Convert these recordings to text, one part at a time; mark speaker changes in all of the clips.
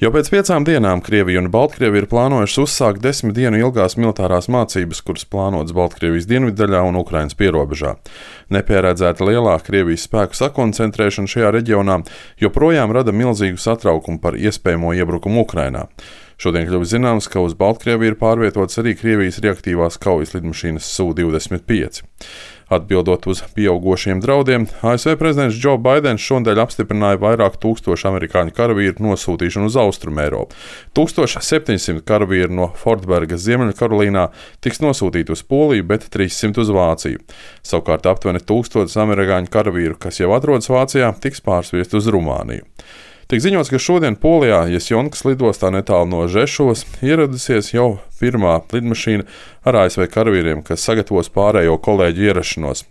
Speaker 1: Jau pēc 5 dienām Krievija un Baltkrievija ir plānojušas uzsākt 10 dienu ilgās militārās mācības, kuras plānotas Baltkrievijas dienviddaļā un Ukrainas pierobežā. Nepieredzēta lielāka Krievijas spēku sakoncentrēšana šajā reģionā joprojām rada milzīgu satraukumu par iespējamo iebrukumu Ukrainā. Šodien kļuvis zināms, ka uz Baltkrieviju ir pārvietotas arī Krievijas reaktīvās kaujas lidmašīnas Su-25. Atbildot uz pieaugošiem draudiem, ASV prezidents Džo Baidens šonadēļ apstiprināja vairāk tūkstošu amerikāņu karavīru nosūtīšanu uz Austrumeiropu. 1700 karavīru no Fortbergas Ziemeļkarolīnā tiks nosūtīti uz Poliju, bet 300 uz Vāciju. Savukārt aptuveni 1000 amerikāņu karavīru, kas jau atrodas Vācijā, tiks pārsviesti uz Rumāniju. Tiek ziņots, ka šodien Polijā Jesjonkas lidostā netālu no Žešovas ieradusies jau pirmā lidmašīna ar ASV karavīriem, kas sagatavos pārējo kolēģu ierašanos.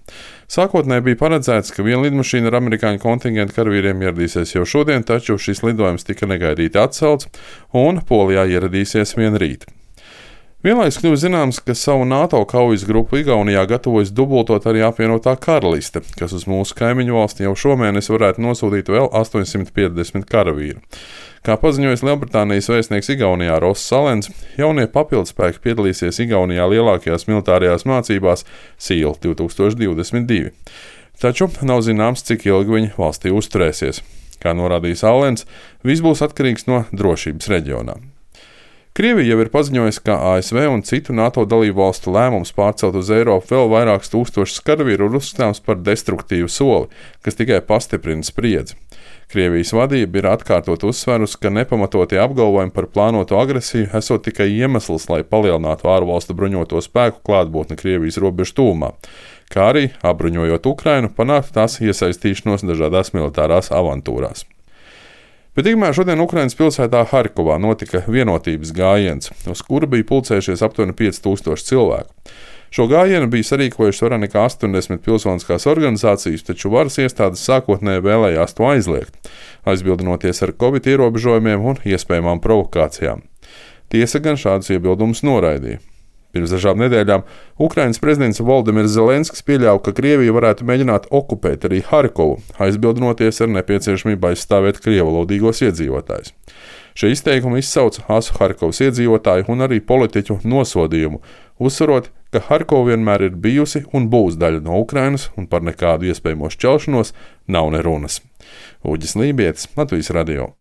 Speaker 1: Sākotnēji bija paredzēts, ka viena lidmašīna ar amerikāņu kontingentu karavīriem ieradīsies jau šodien, taču šis lidojums tika negaidīti atcelts, un Polijā ieradīsies vien rīt. Vienlaikus kļuvis zināms, ka savu NATO kaujas grupu Igaunijā gatavojas dubultot arī apvienotā karaliste, kas uz mūsu kaimiņu valsti jau šomēnes varētu nosūtīt vēl 850 karavīru. Kā paziņojis Lielbritānijas vēstnieks Igaunijā Ross Salens, jaunie papildspēki piedalīsies Igaunijā lielākajās militārajās mācībās SEAL 2022. Taču nav zināms, cik ilgi viņi valstī uzturēsies. Kā norādīja Salens, viss būs atkarīgs no drošības reģionā. Krievija jau ir paziņojusi, ka ASV un citu NATO dalību valstu lēmums pārcelt uz Eiropu vēl vairākus tūkstošus karavīru ir uzskatāms par destruktīvu soli, kas tikai pastiprina spriedzi. Krievijas vadība ir atkārtot uzsverusi, ka nepamatotie apgalvojumi par plānoto agresiju esot tikai iemesls, lai palielinātu ārvalstu bruņoto spēku klātbūtni Krievijas robežu tūmā, kā arī, apbruņojot Ukrainu, panākt tās iesaistīšanos dažādās militārās avantūrās. Bet tikmēr šodien Ukrainas pilsētā Harkovā notika vienotības gājiens, uz kura bija pulcējušies aptuveni 5000 cilvēku. Šo gājienu bija sarīkojušas vairāk nekā 80 pilsoniskās organizācijas, taču varas iestādes sākotnēji vēlējās to aizliegt, aizbildinoties ar Covid ierobežojumiem un iespējamām provokācijām. Tiesa gan šādus iebildumus noraidīja. Pirms dažām nedēļām Ukrainas prezidents Voldemirs Zelenskis pieļāva, ka Krievija varētu mēģināt okupēt arī Harkovu, aizbildinoties ar nepieciešamību aizstāvēt krievalodīgos iedzīvotājus. Šie izteikumi izsauca asu Harkovas iedzīvotāju un arī politiķu nosodījumu, uzsverot, ka Harkova vienmēr ir bijusi un būs daļa no Ukrainas un par nekādu iespējamo šķelšanos nav ne runas. Uģis Lībietis, Latvijas radio.